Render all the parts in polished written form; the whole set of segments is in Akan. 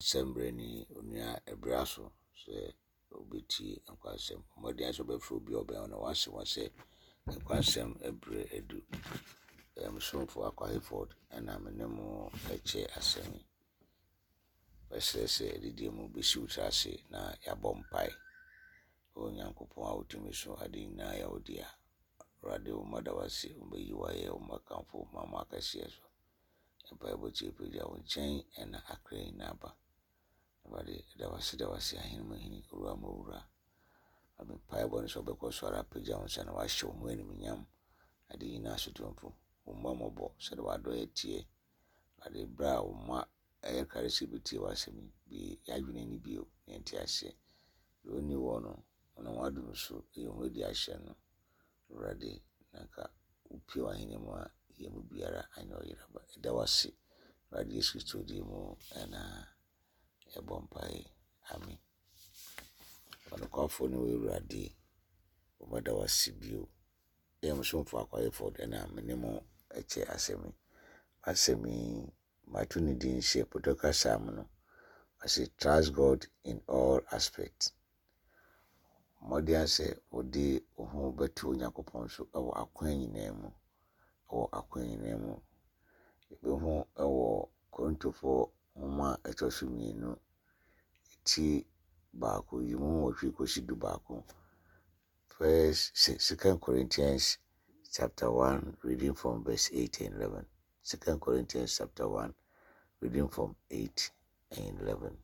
Sɛmbrɛni onua ɛbra so sɛ obetie nkwasɛm. Mmɔden ara sɛ ɔbɛfrɛ obi a ɔbɛn wo na wase wɔn sɛ nkwasɛm ɛbrɛ adu. Ɛyɛ me somfo Akwa Hayford ɛna me ne mo ɛkyɛ asɛm yi. Mɛsrɛ sɛ adidie mu bɛsi wo tiri ase na yɛabɔ mpae. O Nyankopɔn a wotumi so ade nyinaa yɛ wo dea. Awurade wo mma da wo ase, wo bɛyi wo ayɛ, wo mma kamfo wo ma mo akɛseɛ so. Mpaebɔ tie pagya wo nkyɛn na akra nyinaa ba. Awurade, da wo ase, da wo ase, ahene mu hene, owura mu owura. Na me mpaebɔ ne sɛ wobɛkɔ so ara apagya wo nsa na wahyɛ wo ho animuonyam, ade nyinaa so tumfo. Wo mma mmɔbɔ sɛdeɛ w'adɔeɛ teɛ. Awurade, berɛ a wo mma ɛyɛ krado sɛ yɛbɛtie w'asɛm yi, bue yɛn adwene ani bio na yɛnte aseɛ. Deɛ ɔnni hɔ no, wonam w'adom so yi wo ho adi ahyɛ no. Awurade, na anka wopue w'ahenni mu a, yɛn mu biara anyɛ ɔyeraba. Yɛda wo ase, Awurade Yesu Kristo din mu na yɛbɔ mpae. Amen. Ɔnokwafo ne wo Awurade, wɔbɛda wo ase bio. Yɛ mo somfo akwayɛfo na me ne mo kyɛ asɛm yi. Asɛm yi, mato ne din sɛ Pɔtɔ kasa mu no, ɔse trust God in all aspects. Mmɔden ara sɛ wode wo ho bɛto Onyankopɔn so wɔ akwan nyinaa mu. Wɔ akwan nyinaa mu. Yɛbɛhu wɔ Korintofoɔ nwoma a ɛtɔ so mmienu, ti baako, yi mu nwɔtwe kɔsi du baako. First, Second Corinthians chapter 1, reading from verse 8 and 11. Second Corinthians chapter 1, reading from 8 and 11.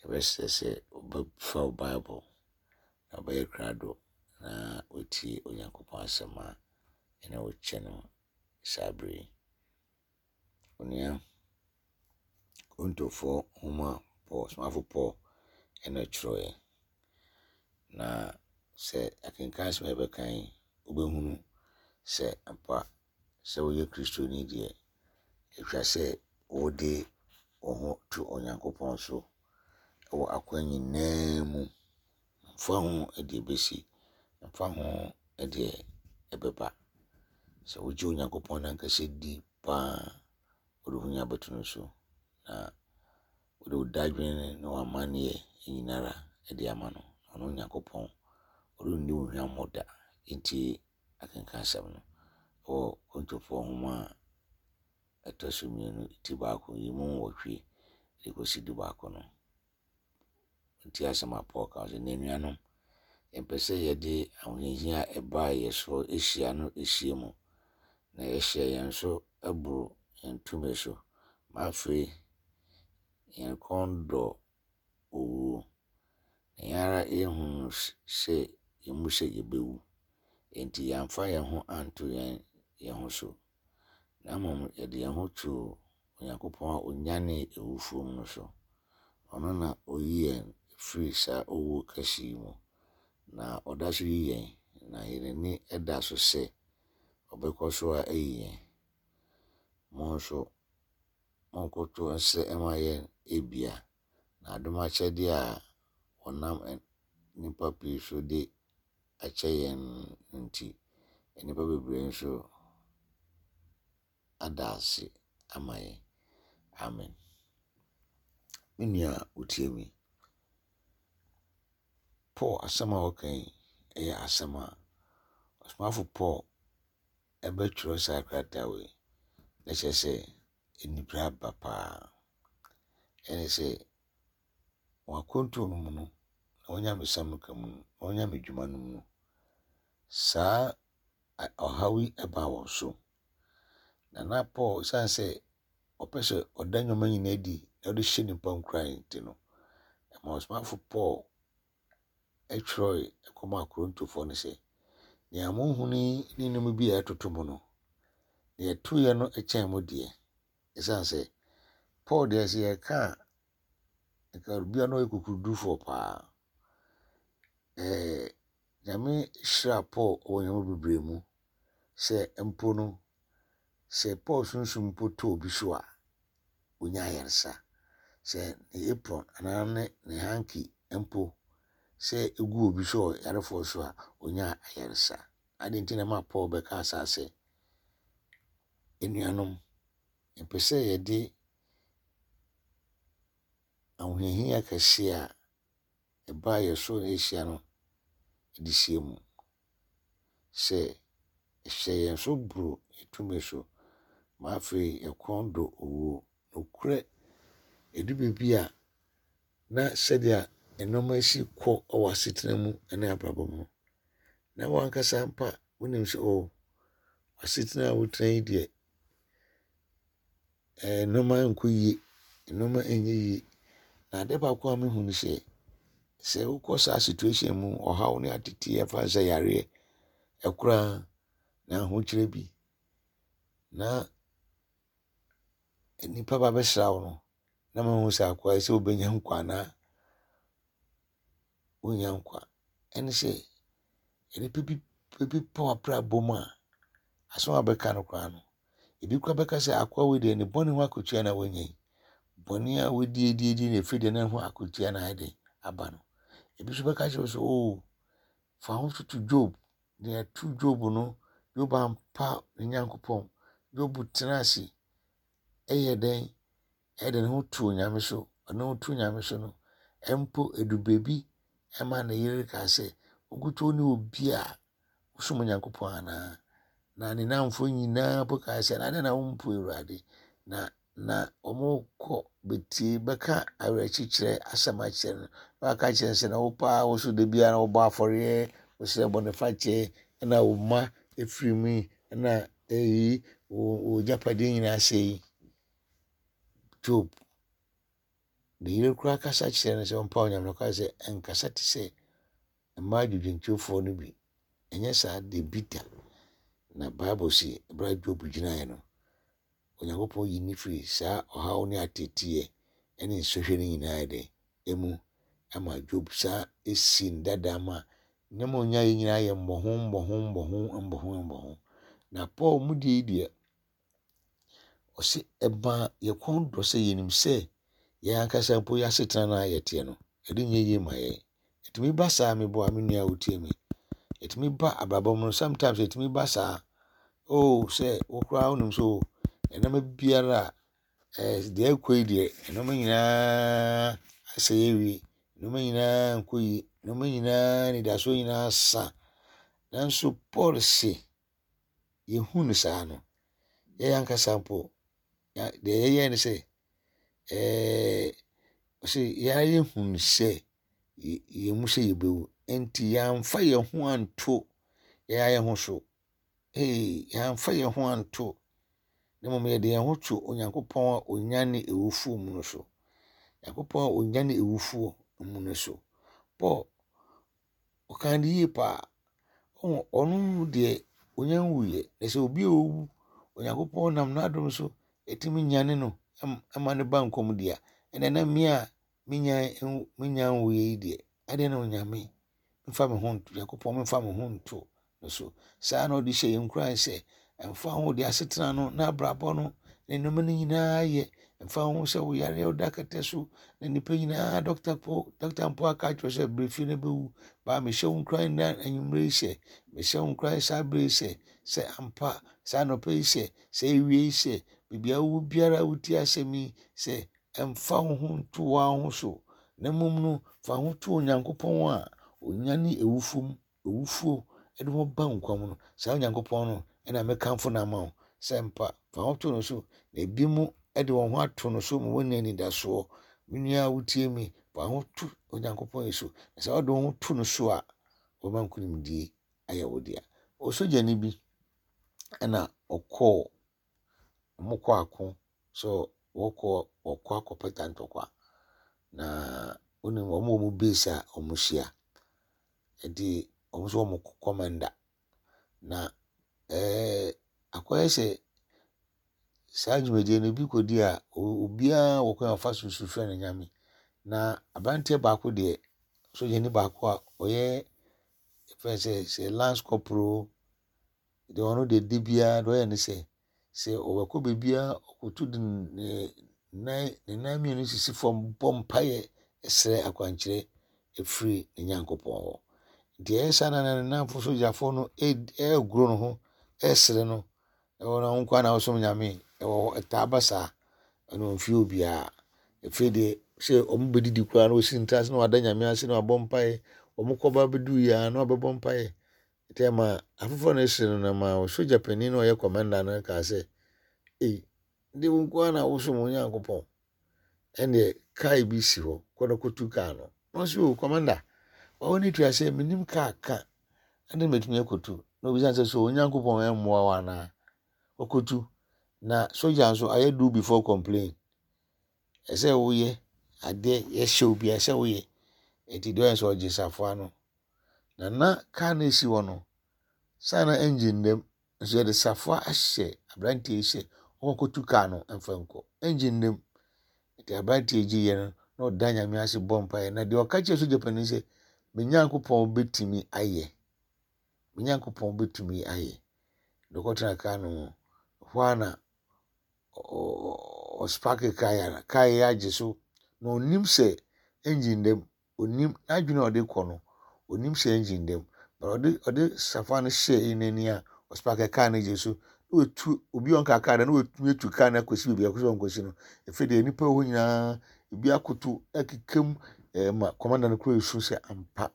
Yɛbɛsrɛ sɛ wobɛfa wo Bible na wobɛyɛ krado na woatie Onyankopɔn asɛm a ɛne wo kyɛ no saa bere yi. Onua, Korintofoɔ nwoma a Paul, Somafo Paul ɛna ɛtwerɛeɛ. Na sɛ akenkan asɛm a yɛbɛka yi, wobɛhunu sɛ ampa sɛ woyɛ Kristoni deɛ, ɛtwa sɛ wode wo ho to Onyankopɔn so wɔ akwan nyinaa mu. Mfa ho deɛ ɛbɛsi, mfa ho deɛ ɛbɛba. Sɛ wogye Onyankopɔn n'ankasa di paa, wode wo ho nyinaa bɛto no so, na wode wo dadwene ne w'amanneɛ nyinara de ama no. Ɔno Onyankopɔn, ɔrenni wo hwammɔ da. Enti akenkan asɛm no wɔ Korintofoɔ nwoma a ɛtɔ so mmienu ti baako yi mu nwɔtwe de kɔsi du baako no. Nti asɛm a Paul ka sɛ, Anuanom, yɛmpɛ sɛ yɛde ahohiahia a ɛbaa yɛ so hyia no hyia mu, na yɛhyɛ yɛn so boro yɛn tumi so, ma afei yɛn kɔn dɔ owuo, na yɛn ara yɛhunu sɛ yɛn mu sɛ yɛbɛwu. Enti yɛamfa yɛn ho anto yɛn yɛn ho so, na mmom yɛde yɛn ho too Onyankopɔn a ɔnyanee awufoɔ mu no so. Ɔno na ɔyi yɛn firi saa owuo kɛse yi mu, na ɔda so yi yɛn, na yɛn ani da so sɛ ɔbɛkɔ so ara ayi yɛn. Mo nso, monkoto nsrɛ mma yɛn ebia na adom akyɛdeɛ a wɔnam nnipa pii so de akyɛ yɛn no nti, nnipa bebree nso ada ase ama yɛn. Amen. Me nua a wotie me, Paul asɛm a ɔka yi yɛ asɛm a ɔsomafo Paul ɛbɛtwerɛ saa krataa wei na kyerɛ sɛ anibere aba paa. Ɛne sɛ wɔn akwantuo no mu no, na wɔn nyamesɛm no ka mu no, na wɔn nyamedwuma no mu no, saa ɔhaw yi baa wɔn so. Na na Paul, esiane sɛ ɔpɛ sɛ ɔda nneɛma nyinaa adi na ɔde hyɛ nnipa nkuran nti no, ɛma ɔsomafo Paul twerɛe kɔmaa Korintofoɔ no sɛ, Nea mohunu yi ne nneɛma bi a ɛtoto mo no, deɛ ɛtoeɛ no kyɛn mo deɛ. Esiane sɛ Paul deɛ sɛ yɛka a, nka obi a na ɔyɛ kokodurufoɔ paa. Ɛɛ Nyame hyiraa Paul wɔ nneɛma bebree mu sɛ mpo no, sɛ Paul sunsum mpo tɔ obi so a, onya ayarsa. Sɛ ne apron anaa ne ne hanky mpo sɛ egu obi so ɔyarefoɔ so a, onya ayarsa. Adɛn nti na ɛma Paul bɛkaa saa sɛ, Anuanom, yɛpɛ sɛ yɛde. ahohiahia kɛseɛ a ɛbaa yɛn so na ɛhyia no de hyia mu sɛ ɛhyɛ yɛn so boro yɛn tumi so ma afei yɛn kɔn dɔ owuo. Nokorɛ, ɛdu baabi a na sɛdeɛ nneɛma si kɔ wɔ asetena mu ne abrabɔ mu no, na w'ankasa mpa wonim sɛ oh, asetena a wotena yi deɛ, eh, nneɛma nkɔ yie, nneɛma nyɛ yie. Na adeɛ baako a mehu ne sɛ, sɛ wokɔ saa situation mu, ɔhaw ne ateteɛ, ɛfa sɛ yareɛ, ɛkoraa na ahokyerɛ bi, na nnipa ba bɛsra wo no, na mahu sɛ akoa yi sɛ wobɛnya nkwa anaa wonnya nkwa. Ɛne sɛ, nnipa bi bi ba w'abrabɔ mu a, asɛm a wɔbɛka no koraa no, ebi koraa bɛka sɛ akoa wei deɛ ne bɔne ho akatua na wanya yi. Bɔne a wadi adi adi na ɛfiri deɛ ne ho akatua na ayɛ den aba no. Ebi nso bɛka kyerɛ wo sɛ, oh, fa ho toto Job. Deɛ ɛto Job no, Job ampa ne Nyankopɔn. Job tena ase yɛ dɛn? Ɛde ne ho to Onyame so. Ɔde ne ho to Nyame so no, mpo edu baabi ɛma ne yere kaa sɛ, Wo ne obi a wosom Onyankopɔn anaa? Na ne nnamfo nyinaa mpo kaa sɛ, na adɛn na wompo Awurade? Na na wɔkɔ betie bɛka awerɛkyekyerɛ asɛm akyerɛ no. Na waka kyerɛ no sɛ, na wo paa wo so da biara wobɔ afɔreɛ, wosrɛ bɔnefakyɛ, ɛna wo mma efiri mu yi, ɛna eyi wo wo agyapadeɛ nyinaa sɛe yi. Job, ne yere koraa kasa kyerɛ no sɛ ɔmpa Onyame no, ɔka sɛ ɛnkasa te sɛ mmaa adwudwentwefoɔ no bi. Ɛnyɛ saa da bi da. Na Bible se, berɛ a Job gyinaeɛ no, Onyankopɔn yi no firi saa ɔhaw ne ateeteeɛ ne nsɔhwɛ no nyinaa dɛn mu ma Job san si no dada ma nneɛma a ɔnyaeɛ nyinaa yɛ mmɔho mmɔho mmɔho mmɔho mmɔho. Na Paul mu deɛ yi deɛ, ɔse ɛma yɛ kɔn dɔ sɛ yɛnim sɛ yɛn ankasa mpo yɛn asetena no a yɛteɛ no, ɛde nyɛ yie ma yɛn. Ɛtumi ba saa meboa me nua a wotie me. Ɛtumi ba abrabɔ mu no sometimes ɛtumi ba saa. Oh sɛ wo koraa wonim sɛ oh nneɛma biara a eh, deɛ ɛkɔ yi deɛ nneɛma nyinaa asɛe awie nneɛma nyinaa nkɔ yie nneɛma nyinaa anidasoɔ nyinaa sa. Nanso Paul se yɛhu no saa no yɛn ankasa mpo deɛ yɛyɛ ne sɛ ɛɛ ɔse yɛn ara yɛhunu sɛ yɛn mu sɛ yɛbɛwu nti yɛamfa yɛn ho anto yɛn ara yɛn ho so ee yɛamfa yɛn ho anto na mmom yɛde yɛn ho to Onyankopɔn a ɔnyane awufoɔ mu no so. Nyankopɔn a ɔnyane awufoɔ mu no so. Paul Ɔkaa no yie paa. Ɔhu ɔno deɛ ɔnya nwuiɛ. Na sɛ obi a ɔwu, Onyankopɔn nam n'adom so tumi nyane no ma no ba nkwa mu deɛ a, ɛnna na me a menya menya nwuiɛ yi deɛ, adɛn na Onyame mfa me ho nto Nyankopɔn mfa me ho nto no so. Saa na ɔde hyɛ yɛn nkuran sɛ, ɛmfa ho deɛ asetena no, n'abrabɔ no, ne nneɛma no nyinaa yɛ, ɛmfa ho sɛ wo yareɛ woda kɛtɛ so, na nnipa nyinaa dɔkta po dɔkta mpo aka akyerɛ sɛ berɛ fie no bɛwu. Baa mehyɛ wo nkuran na anwummerɛ yi sɛ, mehyɛ wo nkuran saa berɛ yi sɛ, sɛ ampa saa anɔpa yi sɛ, sɛ awie yi sɛ, baabi a wowɔ biara wotie asɛm yi sɛ, ɛmfa wo ho nto wo ara ho so, na mmom no, fa ho to Onyankopɔn a ɔnyane awufoɔ mu awufoɔ de wɔn ba nkwa mu no, saa Onyankopɔn no na mekamfo no ama wo sɛ mpa fa ho to no so, na ebinom de wɔn ho ato no so ma wɔanya anidasoɔ. Me nua a wotie me, fa ho to Onyankopɔn yi so, na sɛ wode wo ho to no so a, ɔbɛma nkonimdie ayɛ wo dea. Osogyani bi na ɔkɔɔ, wɔkɔ ako sɛ wɔkɔ wɔkɔ akɔpata ntɔkwa, na wonim wɔn wɔ wɔn base a wɔhyia. Nti wɔn nso wɔn commander. Na ɛɛ akɔyɛ sɛ saa dwumadie no ebi kɔdi a obiara wɔ kwan a ɔfa so su frɛ ne nyame. Na aberanteɛ baako deɛ, sogyani baako a ɔyɛ yɛfrɛ no sɛ sɛ lance corporal o, Deɛ ɔno deɛ da biara deɛ ɔyɛ ne sɛ, sɛ ɔbɛkɔ baabi a ɔkoto de ne nan ne nan mmienu sisi fam bɔ mpaeɛ srɛ akwankyerɛ firi ne Nyankopɔn hɔ. Nti ɛyɛ saa na ne nnamfo sogyafoɔ no ɛregoro ne ho ɛresere no. Ɛwɔ na wo nkoa na wosom Nyame ɛwɔ hɔ ɛtaa ba saa ɛno mfie obiara. Afei deɛ Sɛ wɔn bɛdidi koraa na wɔsi ntra ase na wɔada Nyame ase na wɔabɔ mpaeɛ. Wɔn kɔba bɛduru yɛ a na wɔabɛbɔ mpaeɛ. Nti ɛma afoforɔ no sere no na ɛma sogya panin no a ɔyɛ kɔmanda no kaa sɛ, Ei, de wo nko ara na wosom wo Nyankopɔn. Ɛnneɛ kaa bi si hɔ, kɔ na kɔtu kaa no. Na ɔse, o kɔmanda, wawo ne tua sɛ menim kaa ka, ɛnde mɛtumi akɔtu. Na obisa sɛ, so Onyankopɔn ɛmmoa wo anaa? Ɔkɔtu. Na sogya nso ayɛ do before complain. Ɛsɛ woyɛ adeɛ yɛhyɛ wo biara ɛsɛ woyɛ. Enti deɛ ɔyɛ sɛ ɔgye safoa no. Na na kaa no esi hɔ no, saa na engine dam nso yɛde safoa ahyɛ aberanteɛ yi sɛ ɔnkɔtu kaa no mfa nkɔ. Engine dam. Nti aberanteɛ yi gyeeɛ no na ɔda Nyame ase bɔ mpaeɛ. Na deɛ ɔka kyerɛ sogya panin sɛ, me Nyankopɔn bɛtumi ayɛ. Me Nyankopɔn bɛtumi ayɛ. Deɛ ɔkɔtena kaa no mu, hɔ ara na ɔsparke kaa yi a, kaa yi agye so. Na ɔnnim sɛ engine da mu. Ɔnnim, n'adwene a ɔde kɔ no, ɔnnim sɛ engine da mu. But ɔde ɔde safa no hyɛɛ n'ani a, ɔsparke kaa no gye so. Na watu, obi a ɔnka kaa da, na watumi atu kaa no akɔsi baabi a ɔpɛ sɛ ɔnkɔsi no. Afei deɛ nnipa wɔ hɔ nyinaa, ebi akoto akeka mu ma kɔmanda no koraa resu sɛ ampa.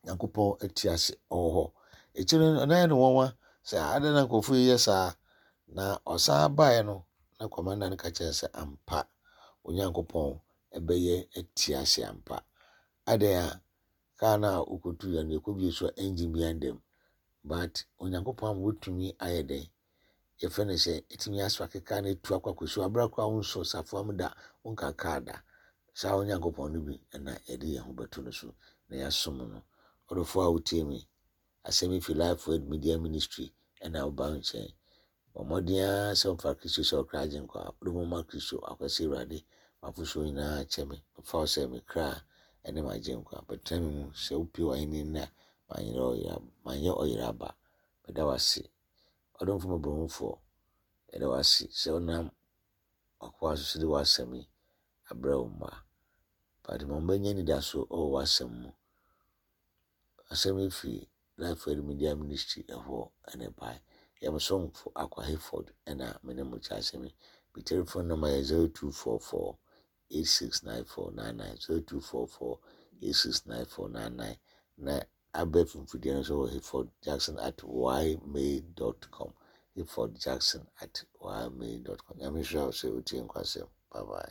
Nyankopɔn te ase, ɔwɔ hɔ. Akyire no, na ɛyɛ no nwanwa sɛ adɛn na nkurɔfoɔ yi yɛ saa. Na ɔsan baeɛ no, na kɔmanda no ka kyerɛ no sɛ ampa, Onyankopɔn bɛyɛ te ase ampa. Adɛn a kaa no a wokɔtuiɛ no, yɛkɔbie so a engine biara nda mu. But Onyankopɔn ama wotumi ayɛ dɛn? Yɛfrɛ no sɛ ɛtumi aso akeka na ɛtu akɔ akɔsi hɔ aberɛ koraa wonsɔ safoa mu da, wonka kaa da. Saa Onyankopɔn no bi na yɛde yɛn ho bɛto no so na yɛasom no. Ɔdɔfoɔ a wotie me, asɛm yi fi Life Word Media Ministry na woba wo nkyɛn. Bɔ mmɔden ara sɛ womfa Kristo sɛ ɔkra agyenkwa. Wode wo ho ma Kristo akwasi Awurade, m'afosuo nyinaa kyɛ me. Mefa wo sɛ me kra ne m'agyenkwa. Bɛtena me mu sɛ wopue w'ahennie nnɛ a, manyɛ ɔyera aba. Meda wo ase. Ɔdomfo mmɔborɔhunufoɔ, yɛda wo ase sɛ wonam w'akoa so de w'asɛm yi abrɛ wo mma. But ma wɔbɛnya anidaso wɔ w'asɛm mu. Asɛm yi firi Life Word Media Ministry ɛhɔ na ɛbae. Yɛ mo somfo Akwa Hayford ɛna me ne mo kyɛ asɛm yi. Me telephone number yɛ 0244 869499 0244 869499 na Abɛɛfo mfidie no nso wɔ Hayford Jackson at ymail dot com Hayford Jackson at ymail dot com. Nyame nhyira wo sɛ wotie nkwasɛm. Bye bye.